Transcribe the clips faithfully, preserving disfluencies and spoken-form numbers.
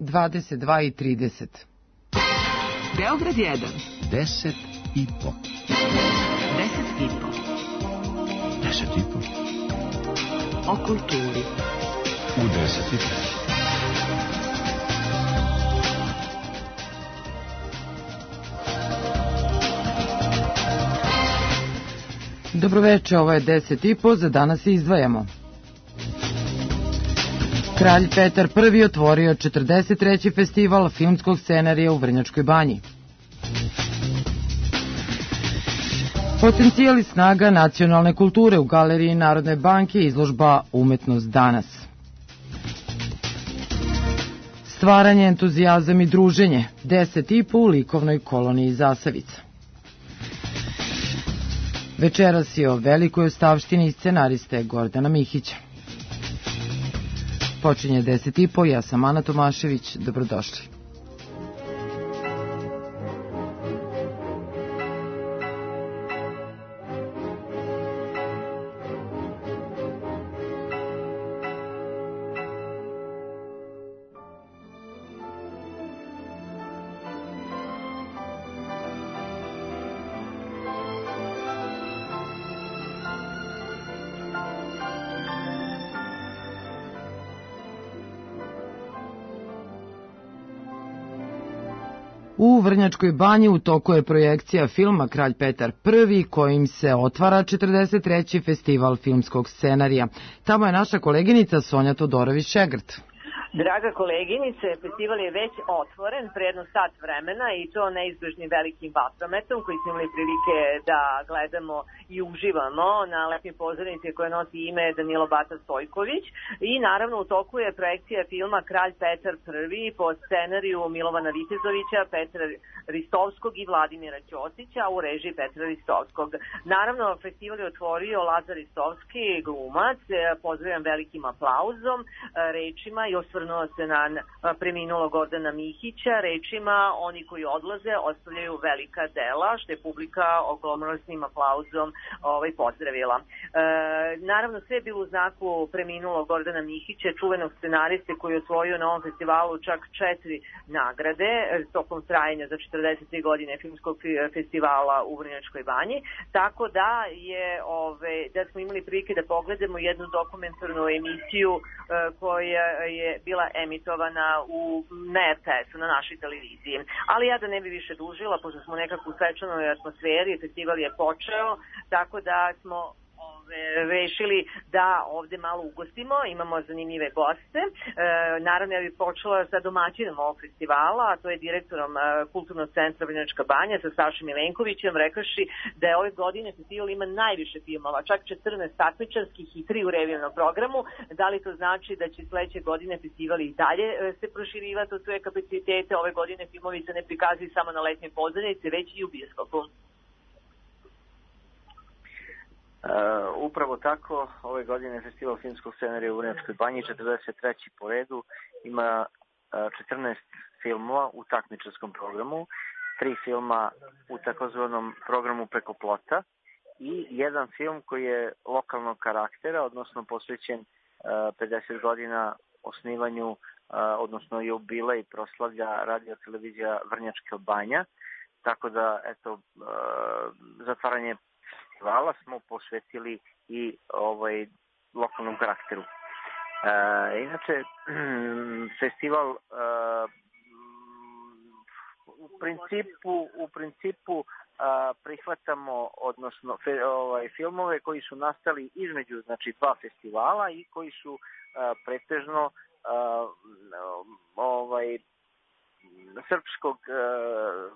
dvadeset dva i trideset. Beograd jedan. Deset i po. Deset i po. Deset i po. O kulturi. U deset i po. Dobroveče, ovo je deset i po, za danas izdvajamo. Kralj Petar Prvi otvorio četrdeset treći festival filmskog scenarija u Vrnjačkoj Banji. Potencijal i snaga nacionalne kulture u Galeriji Narodne banke, izložba Umetnost danas. Stvaranje, entuzijazam i druženje, deset i po u likovnoj koloniji Zasavica. Večeras je o velikoj ostavštini scenariste Gordana Mihića. Počinje deset i po, ja sam Ana Tomašević, dobrodošli. U Vrnjačkoj Banji u toku je projekcija filma Kralj Petar Prvi, kojim se otvara četrdeset treći festival filmskog scenarija. Tamo je naša koleginica Sonja Todorović-Šegrt. Draga koleginice, festival je već otvoren pre jedno sat vremena i to neizbežnim velikim vatrometom koji smo imali prilike da gledamo i uživamo na letnjoj pozornici koja nosi ime Danilo Bata Stojković. I naravno u toku je projekcija filma Kralj Petar Prvi po scenariju Milovana Vitezovića, Petra Ristovskog i Vladimira Ćosića u režiji Petra Ristovskog. Naravno, festival je otvorio Lazar Ristovski, glumac, pozdravljam velikim aplauzom, rečima i osvrnuo se na preminulog Gordana Mihića, rečima oni koji odlaze ostavljaju velika dela, što je publika oglomorosnim aplauzom ovaj, pozdravila. E, naravno, sve je bilo u znaku preminulog Gordana Mihića, čuvenog scenariste koji je osvojio na ovom festivalu čak četiri nagrade tokom trajanja za četrdeset tri godine filmskog festivala u Vrnjačkoj Banji, tako da je ove, da smo imali prilike da pogledamo jednu dokumentarnu emisiju e, koja je bila emitovana u na er te esu, na našoj televiziji. Ali ja da ne bi više dužila, pošto smo nekako u svečanoj atmosferi, festival je počeo, tako da smo rešili da ovde malo ugostimo, imamo zanimljive goste. E, naravno, ja bih počela sa domaćinom ovog festivala, a to je direktorom e, Kulturnog centra Vrnjačka Banja sa Sašom Milenkovićem, rekaši da je ove godine festival ima najviše filmova, čak četrnaest takmičarskih i tri u revijevnom programu. Da li to znači da će sledeće godine festival i dalje e, se proširivati od svoje kapacitete? Ove godine filmovi se ne prikazuju samo na letnjoj pozornici, već i u bioskopu. Uh, upravo tako, ove godine Festival filmskog scenarija u Vrnjačkoj Banji, četrdeset treći po redu, ima uh, četrnaest filmova u takmičarskom programu, tri filma u takozvanom programu preko plota i jedan film koji je lokalnog karaktera, odnosno posvećen uh, pedeset godina osnivanju, uh, odnosno jubilej proslavlja radio televizija Vrnjačka Banja, tako da, eto, uh, zatvaranje festivala smo posvetili i ovaj lokalnom karakteru. E, inače, festival e, u principu, u principu a, prihvatamo, odnosno fe, ovaj, filmove koji su nastali između, znači, dva festivala i koji su a, pretežno a, ovaj srpskog a,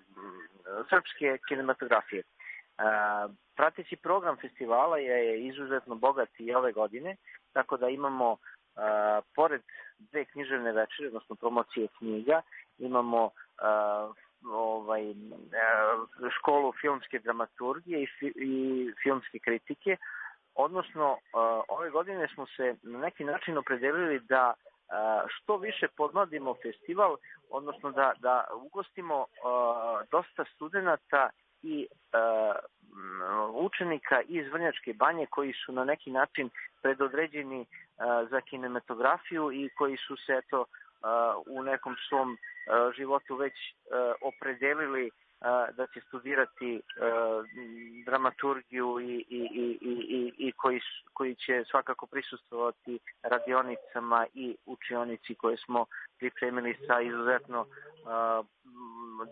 srpske kinematografije. A, prateći program festivala je izuzetno bogat i ove godine, tako da imamo a, pored dve književne večere, odnosno promocije knjiga, imamo a, ovaj, a, školu filmske dramaturgije i, fi, i filmske kritike, odnosno a, ove godine smo se na neki način opredelili da a, što više podmladimo festival, odnosno da, da ugostimo a, dosta studenata i uh, učenika iz Vrnjačke Banje koji su na neki način predodređeni uh, za kinematografiju i koji su se eto u nekom svom životu već opredelili da će studirati dramaturgiju i, i, i, i, i koji, koji će svakako prisustvovati radionicama i učionici koje smo pripremili sa izuzetno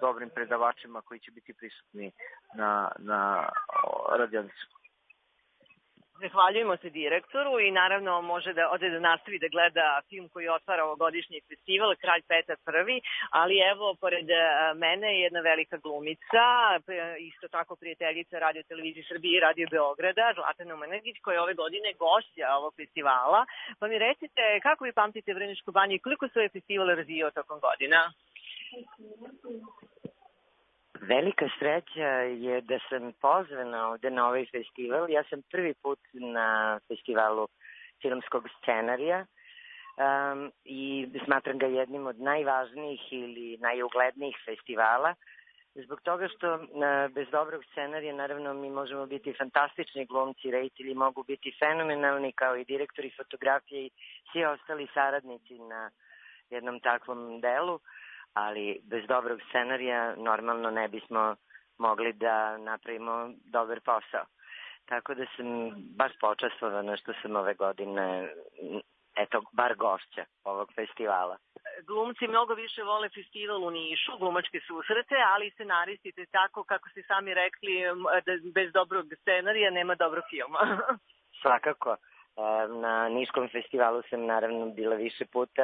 dobrim predavačima koji će biti prisutni na, na radionicu. Zahvaljujemo se direktoru i naravno može da ode da nastavi da gleda film koji otvara ovogodišnji festival, Kralj Petar prvi, ali evo, pored mene je jedna velika glumica, isto tako prijateljica Radio Televizije Srbije i Radio Beograda, Zlatana Omanagić, koja je ove godine gošća ovog festivala. Pa mi recite, kako vi pamtite Vrnjačku banju i koliko se ovaj festival razvijao tokom godina? Velika sreća je da sam pozvana ovde na ovaj festival. Ja sam prvi put na festivalu filmskog scenarija um, i smatram ga jednim od najvažnijih ili najuglednijih festivala. Zbog toga što uh, bez dobrog scenarija naravno mi možemo biti fantastični glumci, reditelji mogu biti fenomenalni kao i direktori fotografije i svi ostali saradnici na jednom takvom delu. Ali bez dobrog scenarija normalno ne bismo mogli da napravimo dobar posao. Tako da sam baš počastvovana što sam ove godine, eto, bar gošća ovog festivala. Glumci mnogo više vole festival u Nišu, glumačke susrete, ali scenaristi te tako, kako ste sami rekli, da bez dobrog scenarija nema dobrog filma. Svakako. Na Niškom festivalu sam naravno bila više puta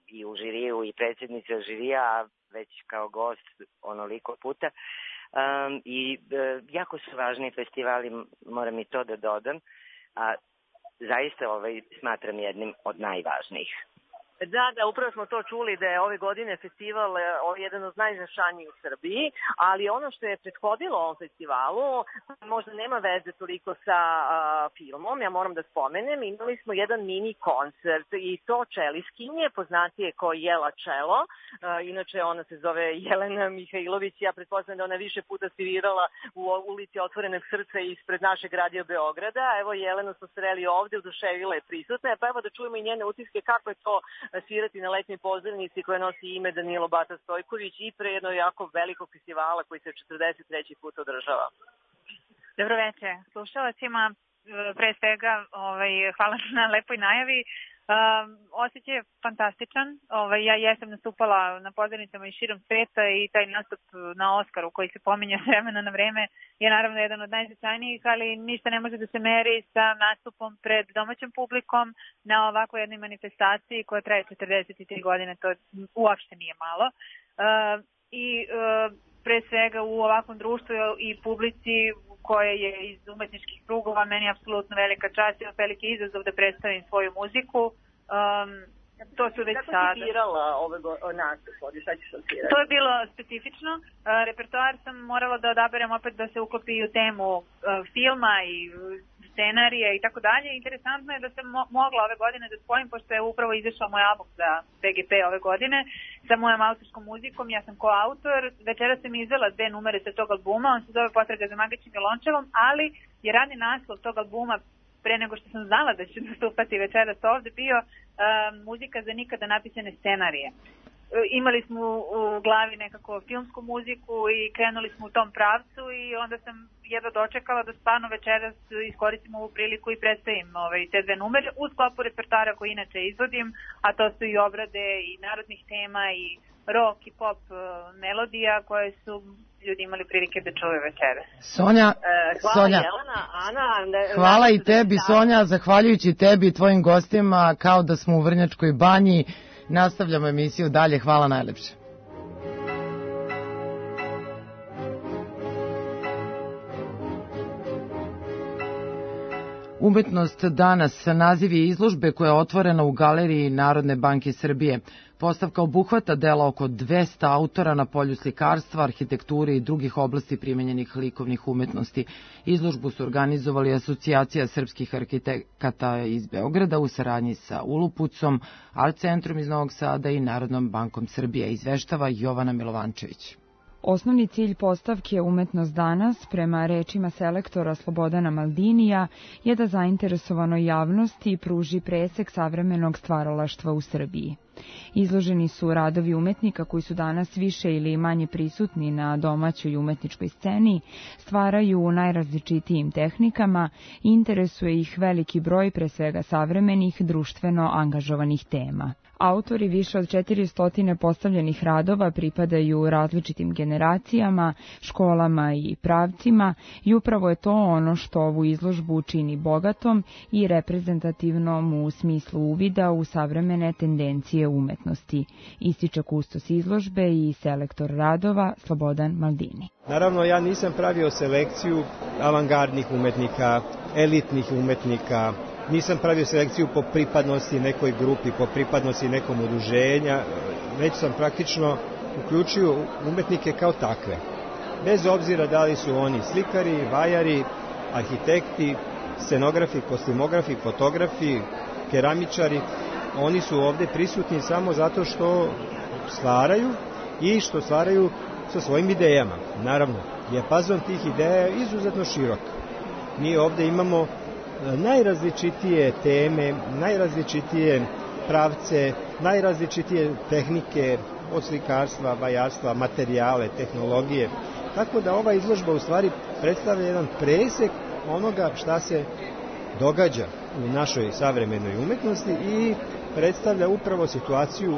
i u žiriju i predsjednica žirija, a već kao gost onoliko puta. Um, I uh, jako su važni festivali, moram i to da dodam, a zaista ovaj smatram jednim od najvažnijih. Da, da, upravo smo to čuli da je ove godine festival jedan od najznačajnijih u Srbiji, ali ono što je prethodilo ovom festivalu možda nema veze toliko sa a, filmom, ja moram da spomenem, imali smo jedan mini koncert i to čeliskinje, poznatije kao Jela Čelo, a, inače ona se zove Jelena Mihajlović, ja pretpostavljam da ona više puta svirala u ulici Otvorenog srca ispred našeg Radio Beograda, evo Jelenu smo sreli ovde, oduševila je prisutna, pa evo da čujemo i njene utiske kako je to svirati na letnoj pozornici koja nosi ime Danilo Bata Stojković i pre jednog jako velikog festivala koji se četrdeset treći put održava. Dobro večer. Slušalacima, pre svega ovaj, hvala na lepoj najavi. Um, osjećaj je fantastičan. Ovaj, ja jesam nastupala na pozornicama i širom sveta i taj nastup na Oskaru koji se pominje vremena na vreme je naravno jedan od najznačajnijih, ali ništa ne može da se meri sa nastupom pred domaćom publikom na ovakvoj jednoj manifestaciji koja traje četrdeset tri godine. To uopšte nije malo. Uh, I uh, pre svega u ovakvom društvu i publici koja je iz umetničkih krugova, meni je apsolutno velika čast i veliki izazov da predstavim svoju muziku. Um, to su već sada. Kako si birala ove nastup? Šta ćeš odsvirati? To je bilo specifično. Uh, repertoar sam morala da odaberem opet da se uklopi u temu uh, filma i scenarija i tako dalje. Interesantno je da sam mo- mogla ove godine da spojim, pošto je upravo izašao moj album za B G P ove godine sa mojom autorskom muzikom. Ja sam koautor. Večera sam izvela dve numere sa tog albuma. On se zove Potraga za magičnim violončelom, ali je radni naslov tog albuma pre nego što sam znala da ću nastupati večeras ovde bio uh, muzika za nikada napisane scenarije. Imali smo u glavi nekako filmsku muziku i krenuli smo u tom pravcu i onda sam jedva dočekala da stvarno večeras iskoristim ovu priliku i predstavim ovaj, te dve numere u sklopu repertoara koji inače izvodim, a to su i obrade i narodnih tema i rock i pop uh, melodija koje su ljudi imali prilike da čuju večeras. Sonja, e, hvala Sonja. Jelena, Ana. Ne, hvala i tebi Sonja, zahvaljujući tebi i tvojim gostima, kao da smo u Vrnjačkoj banji. Nastavljamo emisiju dalje, hvala najlepše. Umetnost danas, naziv je izložbe koja je otvorena u Galeriji Narodne banke Srbije. Postavka obuhvata dela oko dvesta autora na polju slikarstva, arhitekture i drugih oblasti primenjenih likovnih umetnosti. Izložbu su organizovali Asocijacija srpskih arhitekata iz Beograda u saradnji sa Ulupucom, Art centrom iz Novog Sada i Narodnom bankom Srbije, izveštava Jovana Milovančević. Osnovni cilj postavke Umetnost danas, prema rečima selektora Slobodana Maldinija, je da zainteresovanoj javnosti pruži presek savremenog stvaralaštva u Srbiji. Izloženi su radovi umetnika koji su danas više ili manje prisutni na domaćoj umetničkoj sceni, stvaraju u najrazličitijim tehnikama i interesuje ih veliki broj pre svega savremenih, društveno angažovanih tema. Autori više od četiristo postavljenih radova pripadaju različitim generacijama, školama i pravcima i upravo je to ono što ovu izložbu čini bogatom i reprezentativnom u smislu uvida u savremene tendencije umetnosti, ističe kustos izložbe i selektor radova Slobodan Maldini. Naravno, ja nisam pravio selekciju avangardnih umetnika, elitnih umetnika, nisam pravio selekciju po pripadnosti nekoj grupi, po pripadnosti nekom udruženja, već sam praktično uključio umetnike kao takve. Bez obzira da li su oni slikari, vajari, arhitekti, scenografi, kostimografi, fotografi, keramičari, oni su ovde prisutni samo zato što stvaraju i što stvaraju sa svojim idejama. Naravno, dijapazon tih ideja je izuzetno širok. Mi ovde imamo najrazličitije teme, najrazličitije pravce, najrazličitije tehnike od slikarstva, vajarstva, materijale, tehnologije. Tako da ova izložba u stvari predstavlja jedan presek onoga šta se događa u našoj savremenoj umetnosti i predstavlja upravo situaciju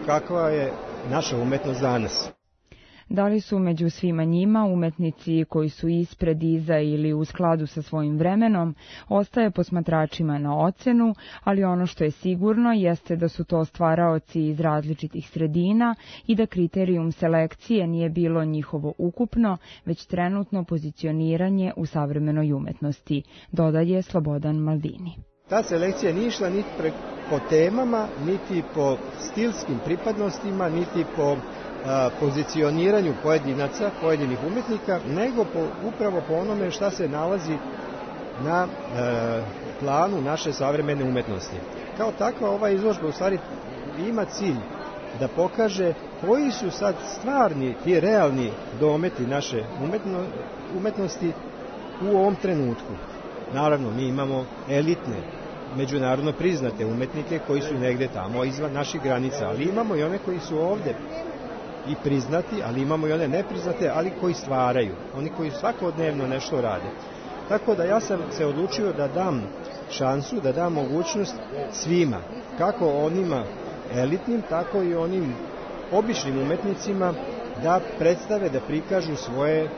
kakva je naša umetnost danas. Da li su među svima njima umetnici koji su ispred, iza ili u skladu sa svojim vremenom, ostaje posmatračima na ocenu, ali ono što je sigurno jeste da su to stvaraoci iz različitih sredina i da kriterijum selekcije nije bilo njihovo ukupno, već trenutno pozicioniranje u savremenoj umetnosti, dodaje Slobodan Maldini. Ta selekcija nije išla niti po temama, niti po stilskim pripadnostima, niti po pozicioniranju pojedinaca, pojedinih umetnika, nego po, upravo po onome šta se nalazi na e, planu naše savremene umetnosti. Kao takva ova izložba u stvari ima cilj da pokaže koji su sad stvarni, ti realni dometi naše umetno, umetnosti u ovom trenutku. Naravno, mi imamo elitne, međunarodno priznate umetnike koji su negde tamo izvan naših granica, ali imamo i one koji su ovde i priznati, ali imamo i one nepriznate, ali koji stvaraju, oni koji svakodnevno nešto rade. Tako da ja sam se odlučio da dam šansu, da dam mogućnost svima, kako onima elitnim, tako i onim običnim umetnicima da predstave, da prikažu svoje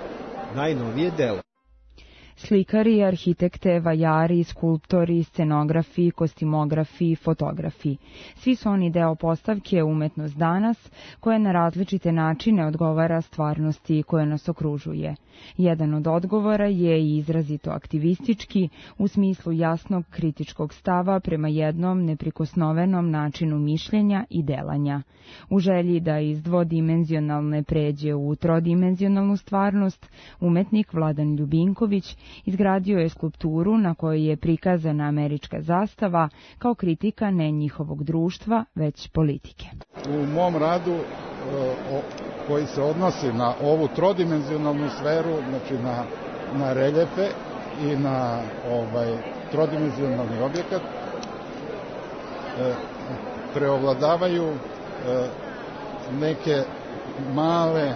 najnovije delo. Slikari, arhitekte, vajari, skulptori, scenografi, kostimografi, fotografi. Svi su oni deo postavke Umetnost danas, koja na različite načine odgovara stvarnosti koja nas okružuje. Jedan od odgovora je i izrazito aktivistički, u smislu jasnog kritičkog stava prema jednom neprikosnovenom načinu mišljenja i delanja. U želji da iz dvodimenzionalne pređe u trodimenzionalnu stvarnost, umetnik Vladan Ljubinković izgradio je skulpturu na kojoj je prikazana američka zastava kao kritika ne njihovog društva, već politike. U mom radu koji se odnosi na ovu trodimenzionalnu sferu, znači na, na reljefe i na ovaj trodimenzionalni objekat, preovladavaju neke male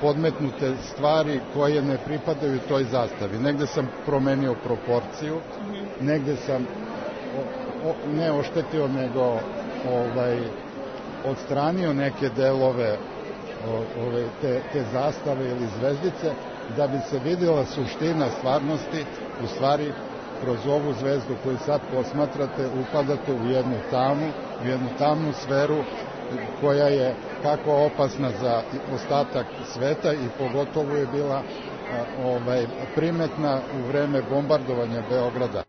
podmetnute stvari koje ne pripadaju toj zastavi. Negde sam promenio proporciju, negde sam o, o, ne oštetio, nego ovaj, odstranio neke delove o, ove, te, te zastave ili zvezdice, da bi se vidjela suština stvarnosti. U stvari, kroz ovu zvezdu koju sad posmatrate, upadate u jednu tamu, u jednu tamnu sferu koja je kako opasna za ostatak sveta i pogotovo je bila ovaj, primetna u vreme bombardovanja Beograda.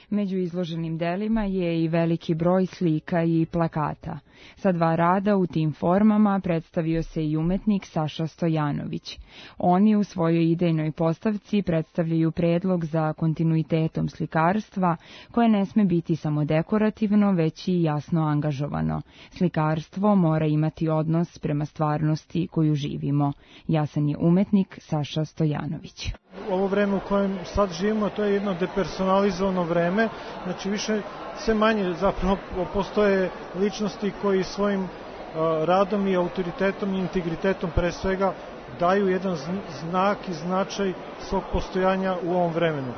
Među izloženim delima je i veliki broj slika i plakata. Sa dva rada u tim formama predstavio se i umetnik Saša Stojanović. Oni u svojoj idejnoj postavci predstavljaju predlog za kontinuitetom slikarstva, koje ne sme biti samo dekorativno, već i jasno angažovano. Slikarstvo mora imati odnos prema stvarnosti koju živimo. Jasan je umetnik Saša Stojanović. Ovo vreme u kojem sad živimo, to je jedno depersonalizovano vreme, znači više sve manje zapravo postoje ličnosti koje koji svojim radom i autoritetom i integritetom pre svega daju jedan znak i značaj svog postojanja u ovom vremenu.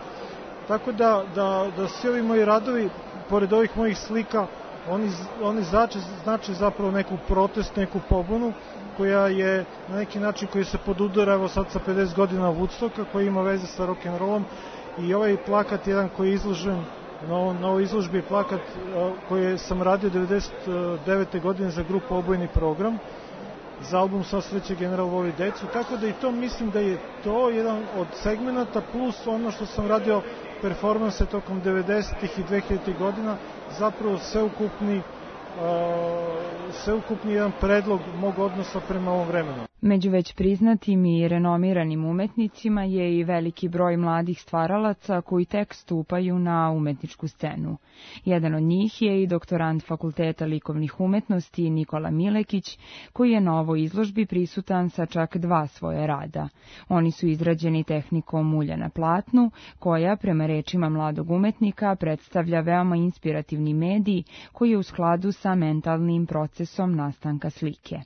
Tako da, da, da svi ovi moji radovi, pored ovih mojih slika, oni, oni znači, znači zapravo neku protest, neku pobunu koja je na neki način koji se podudara evo sad sa pedeset godina Woodstocka, koji ima veze sa rock'n'rollom, i ovaj plakat jedan koji je izložen na, na ovoj izložbi je plakat koji sam radio devedeset devete godine za grupu Obojni program, za album Sva sreće general voli decu, tako da i to mislim da je to jedan od segmenata plus ono što sam radio performanse tokom devedesetih i dvehiljaditih godina, zapravo sveukupni, uh, sveukupni jedan predlog mog odnosa prema ovom vremenu. Među već priznatim i renomiranim umetnicima je i veliki broj mladih stvaralaca koji tek stupaju na umetničku scenu. Jedan od njih je i doktorant Fakulteta likovnih umetnosti Nikola Milekić, koji je na ovoj izložbi prisutan sa čak dva svoje rada. Oni su izrađeni tehnikom mulja na platnu, koja, prema rečima mladog umetnika, predstavlja veoma inspirativni medij koji je u skladu sa mentalnim procesom nastanka slike.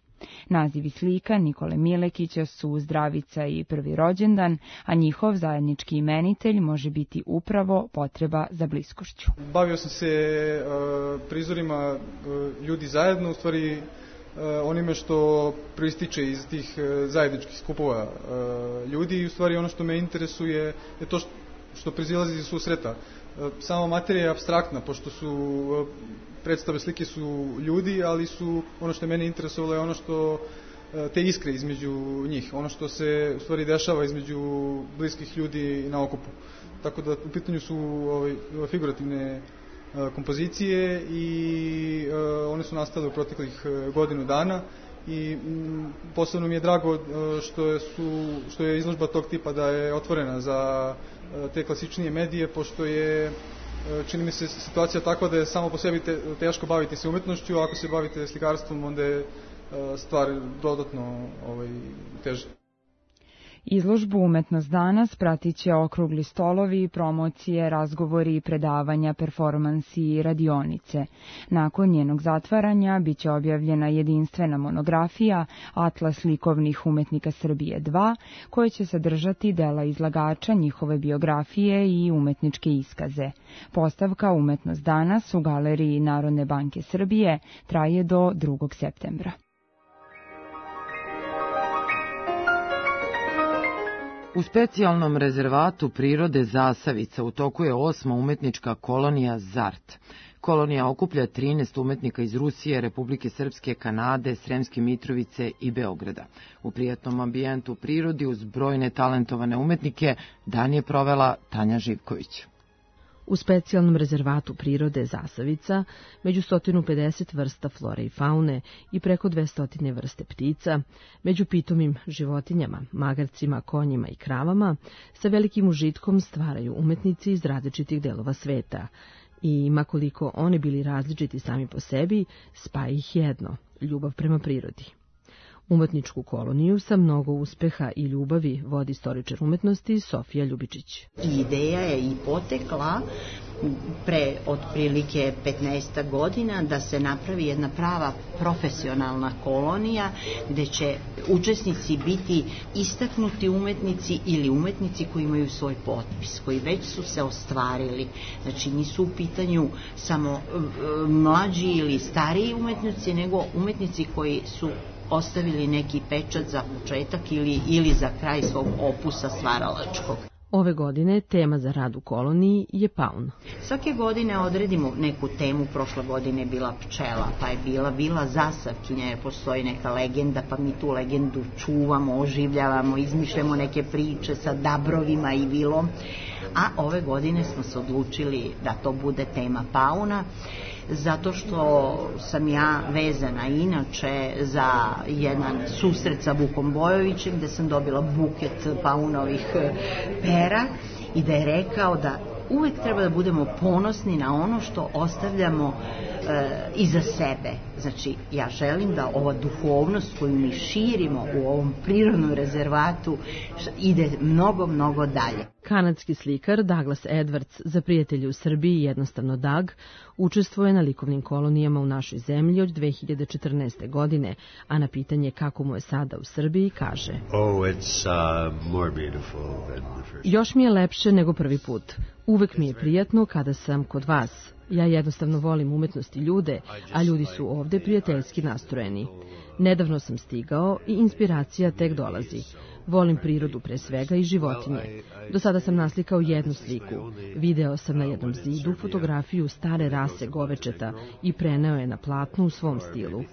Nazivi slika Nikole Milekića su Zdravica i Prvi rođendan, a njihov zajednički imenitelj može biti upravo potreba za bliskošću. Bavio sam se uh, prizorima uh, ljudi zajedno, u stvari uh, onime što proističe iz tih uh, zajedničkih skupova uh, ljudi, i u stvari ono što me interesuje je to što, što proizilazi iz susreta. Uh, sama materija je apstraktna, pošto su uh, predstave slike su ljudi, ali su ono što je mene interesovalo je ono što te iskre između njih, ono što se u stvari dešava između bliskih ljudi na okupu. Tako da u pitanju su ovaj, figurativne kompozicije i one su nastale u proteklih godinu dana i m, posebno mi je drago što je, su, što je izložba tog tipa da je otvorena za te klasičnije medije, pošto je čini mi se situacija takva da je samo po sebi te, teško baviti se umetnošću, a ako se bavite slikarstvom onda je stvar dodatno ovaj, teže. Izložbu Umetnost danas pratit će okrugli stolovi, promocije, razgovori, predavanja, performansi i radionice. Nakon njenog zatvaranja biće objavljena jedinstvena monografija Atlas likovnih umetnika Srbije dva, koja će sadržati dela izlagača, njihove biografije i umetničke iskaze. Postavka Umetnost danas u Galeriji Narodne banke Srbije traje do drugog septembra. U specijalnom rezervatu prirode Zasavica u toku je osma umetnička kolonija ZART. Kolonija okuplja trinaest umetnika iz Rusije, Republike Srpske, Kanade, Sremske Mitrovice i Beograda. U prijatnom ambijentu u prirodi uz brojne talentovane umetnike dan je provela Tanja Živković. U specijalnom rezervatu prirode Zasavica, među sto pedeset vrsta flore i faune i preko dvesta vrste ptica, među pitomim životinjama, magarcima, konjima i kravama, sa velikim užitkom stvaraju umetnici iz različitih delova sveta. I makoliko oni bili različiti sami po sebi, spaja ih jedno, ljubav prema prirodi. Umetničku koloniju sa mnogo uspeha i ljubavi vodi istoričar umetnosti Sofija Ljubičić. Ideja je i potekla pre otprilike petnaest godina da se napravi jedna prava profesionalna kolonija gde će učesnici biti istaknuti umetnici ili umetnici koji imaju svoj potpis, koji već su se ostvarili. Znači nisu u pitanju samo mlađi ili stariji umetnici, nego umetnici koji su ostavili neki pečat za početak ili, ili za kraj svog opusa stvaralačkog. Ove godine tema za rad u koloniji je paun. Svake godine odredimo neku temu, prošle godine je bila pčela, pa je bila bila zasavkinja, jer postoji neka legenda, pa mi tu legendu čuvamo, oživljavamo, izmišljamo neke priče sa dabrovima i vilom, a ove godine smo se odlučili da to bude tema pauna, zato što sam ja vezana inače za jedan susret sa Vukom Bojovićem gde sam dobila buket paunovih pera i da je rekao da uvek treba da budemo ponosni na ono što ostavljamo e, iza sebe. Znači, ja želim da ova duhovnost koju mi širimo u ovom prirodnom rezervatu ide mnogo, mnogo dalje. Kanadski slikar Douglas Edwards, za prijatelje u Srbiji jednostavno Dag, učestvuje na likovnim kolonijama u našoj zemlji od dve hiljade četrnaeste. godine, a na pitanje kako mu je sada u Srbiji kaže: Oh, it's uh, more beautiful than the first. Još mi je lepše nego prvi put. Uvek mi je prijatno kada sam kod vas. Ja jednostavno volim umetnost i ljude, a ljudi su ovde prijateljski nastrojeni. Nedavno sam stigao i inspiracija tek dolazi. Volim prirodu pre svega i životinje. Do sada sam naslikao jednu sliku. Video sam na jednom zidu fotografiju stare rase govečeta i preneo je na platnu u svom stilu.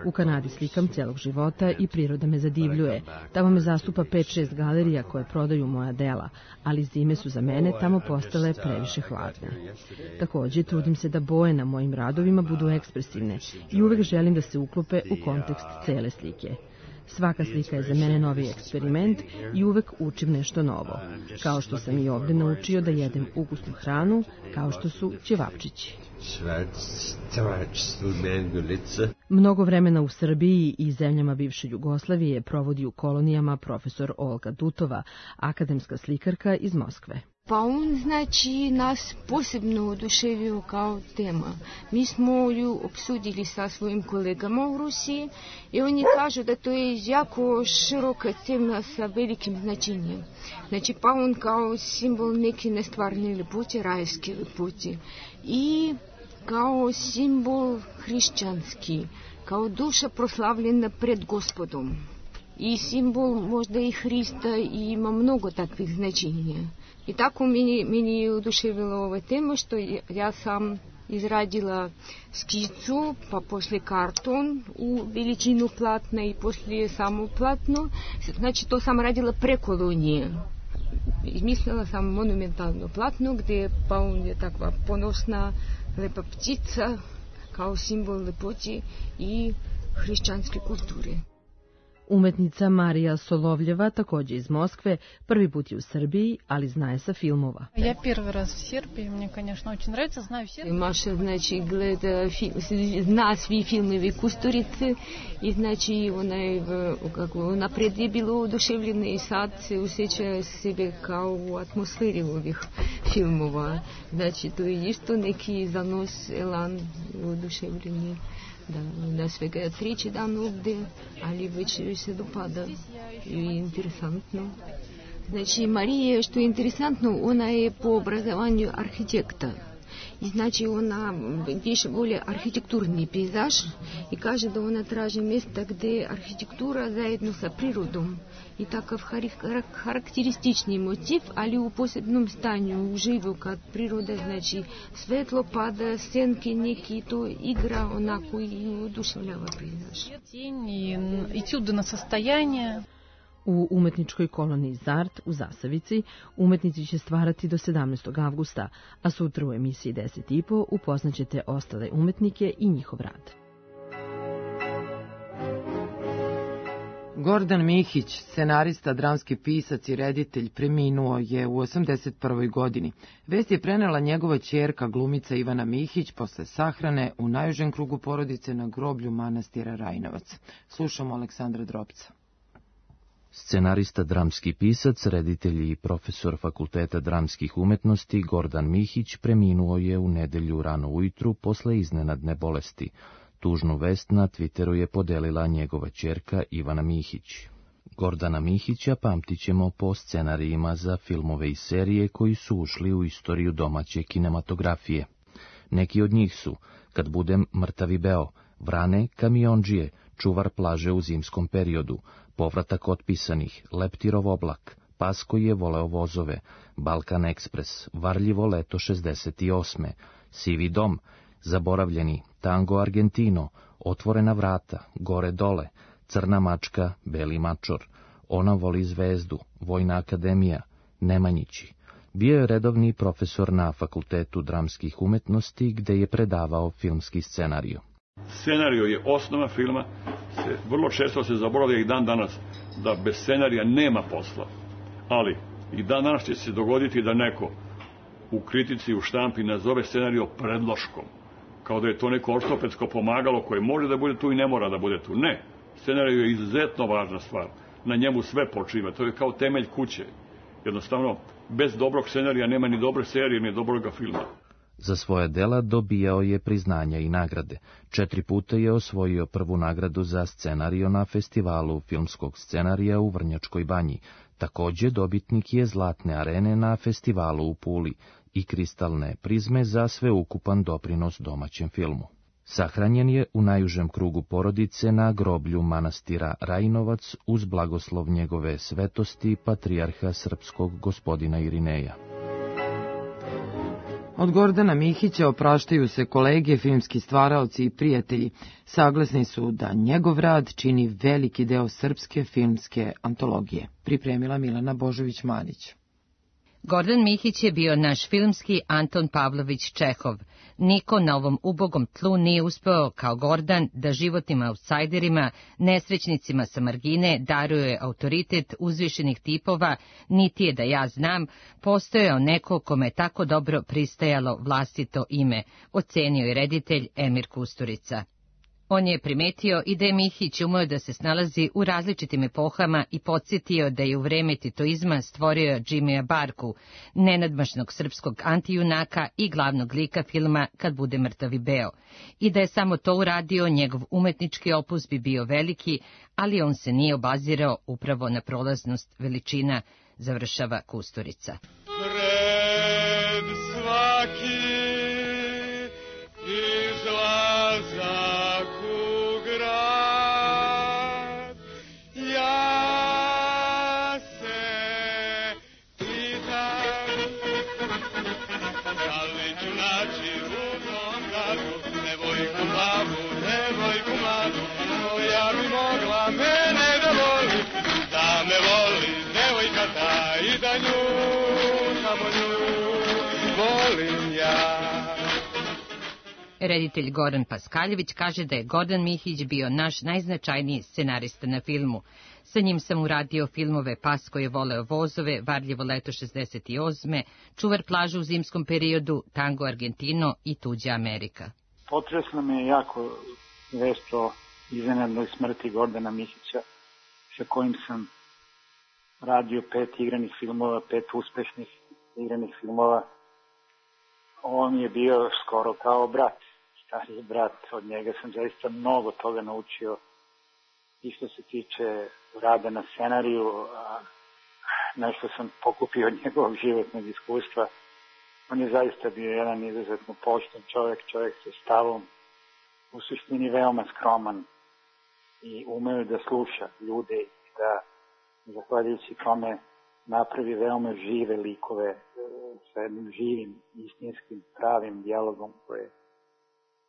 U Kanadi slikam celog života i priroda me zadivljuje. Tamo me zastupa pet šest galerija koje prodaju moja dela, ali zime su za mene tamo postale previše hladne. Takođe, trudim se da boje na mojim radovima budu ekspresivne i uvek želim da se uklope u kontekst cele slike. Svaka slika je za mene novi eksperiment i uvek učim nešto novo, kao što sam i ovde naučio da jedem ukusnu hranu, kao što su ćevapčići. Mnogo vremena u Srbiji i zemljama bivše Jugoslavije provodi u kolonijama profesor Olga Dutova, akademska slikarka iz Moskve. Pa on, znači, nas posebno oduševio kao tema. Mi smo ju obsudili sa svojim kolegama u Rusiji i oni kažu da to je jako široka tema sa velikim značenjem. Znači, pa on kao simbol neke nestvarne ljepote, rajske ljepote i kao simbol hrišćanski, kao duša proslavljena pred Gospodom. I simbol možda i Hrista i ima mnogo takvih značenja. I tako meni, meni je oduševila ova tema što ja sam izradila skicu, pa posle karton u veličinu platna i posle samo platno. Znači to sam radila pre kolonije. Izmislila sam monumentalno platno gde pa on je takva ponosna, lepa ptica kao simbol lepote i hrišćanske kulture. Umetnica Marija Solovljeva, takođe iz Moskve, prvi put je u Srbiji, ali zna je sa filmova. Ja prvi raz u Srbiji, meni, конечно, очень нравится, знаю все. Маша, znači, gleda, zna svi filmovi Kusturice i znači ona je, kako, napred je bilo oduševljena i sad se osjeća sebe kao u atmosferi ovih filmova. Znači, to je isto neki zanos, elan, oduševljeni. Da, da svega treći dan ovde, ali već se dopada i interesantno. Znači, Marija, što je interesantno, ona je po obrazovanju arhitekta. I znači ona piše bolje arhitekturni pejzaž i kaže da ona traži mjesta gdje arhitektura zajedno sa prirodom i takav karakteristični motiv, ali u posebnom stanju, uživo kad priroda, znači svetlo pada, senke neki, to igra onako i oduševljava pejzaž. I čudo na sastajanje. U umetničkoj koloniji Zart u Zasavici umetnici će stvarati do sedamnaestog avgusta, a sutra u emisiji deset i po upoznaćete ostale umetnike i njihov rad. Gordan Mihić, scenarista, dramski pisac i reditelj, preminuo je u osamdeset prvoj. godini. Vest je prenela njegova ćerka, glumica Ivana Mihić, posle sahrane u najužem krugu porodice na groblju manastira Rajnovac. Slušamo Aleksandra Dropca. Scenarista, dramski pisac, reditelj i profesor Fakulteta dramskih umetnosti Gordan Mihić preminuo je u nedelju rano ujutru posle iznenadne bolesti. Tužnu vest na Twitteru je podelila njegova ćerka Ivana Mihić. Gordana Mihića pamtit ćemo po scenarijima za filmove i serije koji su ušli u istoriju domaće kinematografije. Neki od njih su Kad budem mrtavi beo, Vrane, Kamiondžije, Čuvar plaže u zimskom periodu, Povratak otpisanih, Leptirov oblak, Pas koji je voleo vozove, Balkan ekspres, Varljivo leto šezdeset osme, Sivi dom, Zaboravljeni, Tango Argentino, Otvorena vrata, Gore dole, Crna mačka, Beli mačor, Ona voli zvezdu, Vojna akademija, Nemanjići. Bio je redovni profesor na Fakultetu dramskih umetnosti gde je predavao filmski scenariju. Scenario je osnova filma, se, vrlo često se zaboravlja i dan danas da bez scenarija nema posla. Ali i dan danas će se dogoditi da neko u kritici, u štampi nazove scenario predloškom, kao da je to neko ortopedsko pomagalo koje može da bude tu i ne mora da bude tu. Ne, scenario je izuzetno važna stvar, na njemu sve počiva, to je kao temelj kuće. Jednostavno, bez dobrog scenarija nema ni dobre serije, ni dobrog filma. Za svoje dela dobijao je priznanja i nagrade. Četiri puta je osvojio prvu nagradu za scenario na festivalu filmskog scenarija u Vrnjačkoj Banji. Takođe dobitnik je Zlatne arene na festivalu u Puli i kristalne prizme za sveukupan doprinos domaćem filmu. Sahranjen je u najužem krugu porodice na groblju manastira Rajinovac uz blagoslov njegove svetosti patrijarha srpskog gospodina Irineja. Od Gordana Mihića opraštaju se kolege, filmski stvaraoci i prijatelji. Saglasni su da njegov rad čini veliki deo srpske filmske antologije. Pripremila Milana Božović-Manić. Gordan Mihić je bio naš filmski Anton Pavlović Čehov. Niko na ovom ubogom tlu nije uspeo kao Gordan da životnim autsajderima, nesrećnicima sa margine daruje autoritet uzvišenih tipova, niti je da ja znam, postojao neko kome je tako dobro pristajalo vlastito ime, ocenio je reditelj Emir Kusturica. On je primetio i da je Mihić umeo da se snalazi u različitim epohama i podsjetio da je u vreme titoizma stvorio Džimija Barku, nenadmašnog srpskog antijunaka i glavnog lika filma Kad bude mrtav i beo. I da je samo to uradio, njegov umetnički opus bi bio veliki, ali on se nije obazirao upravo na prolaznost veličina, završava Kusturica. Pred svaki izlazak Reditelj Goran Paskaljević kaže da je Gordan Mihić bio naš najznačajniji scenarista na filmu. Sa njim sam uradio filmove Pas koji je voleo vozove, Varljivo leto šezdeset osme, Čuvar plaža u zimskom periodu, Tango Argentino i Tuđa Amerika. Potresla me je jako vest o iznenadnoj smrti Gordana Mihića, sa kojim sam radio pet igranih filmova, pet uspešnih igranih filmova. On je bio skoro kao brat, stariji brat, od njega sam zaista mnogo toga naučio i što se tiče rada na scenariju, a nešto sam pokupio od njegovog životnog iskustva. On je zaista bio jedan izuzetno pošten čovjek, čovjek sa stavom, u suštini veoma skroman i umeo da sluša ljude i da, zahvaljujući tome, napravi veoma žive likove sa jednim živim, istinskim, pravim dijalogom koje,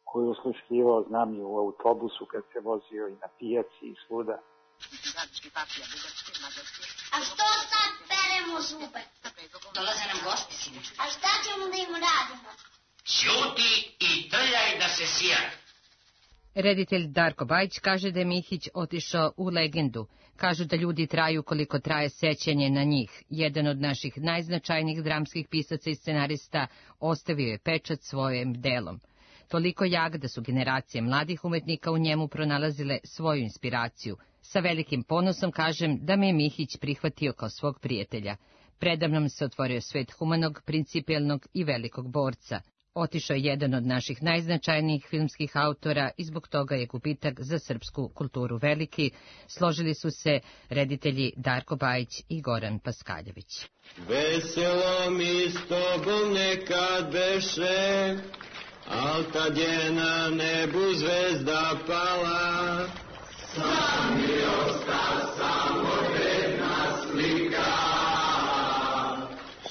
koji je usluškivao, znam i u autobusu kad se vozio i na pijaci i svuda. A što sad peremo zube? Dolaze nam gosti, sine. A šta ćemo da im radimo? Ćuti i trljaj da se sijak. Reditelj Darko Bajić kaže da je Mihić otišao u legendu. Kažu da ljudi traju koliko traje sećanje na njih. Jedan od naših najznačajnijih dramskih pisaca i scenarista ostavio je pečat svojim delom. Toliko jak da su generacije mladih umetnika u njemu pronalazile svoju inspiraciju. Sa velikim ponosom kažem da me je Mihić prihvatio kao svog prijatelja. Predavnom se otvorio svet humanog, principijelnog i velikog borca. Otišao je jedan od naših najznačajnijih filmskih autora i zbog toga je gubitak za srpsku kulturu veliki, složili su se reditelji Darko Bajić i Goran Paskaljević. Veselo mi s tobom nekad beše, al tad je na nebu zvezda pala. Sam mi osta samo jedna slika,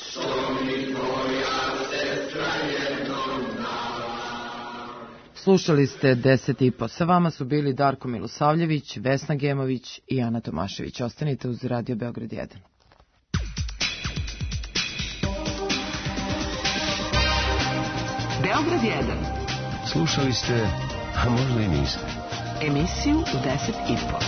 što mi tvoja sestra jednom dala. Slušali ste deset i po. Sa vama su bili Darko Milosavljević, Vesna Gemović i Ana Tomašević. Ostanite uz Radio Beograd jedan. Beograd jedan. Slušali ste, a možda i niste. Emisiju u deset i po.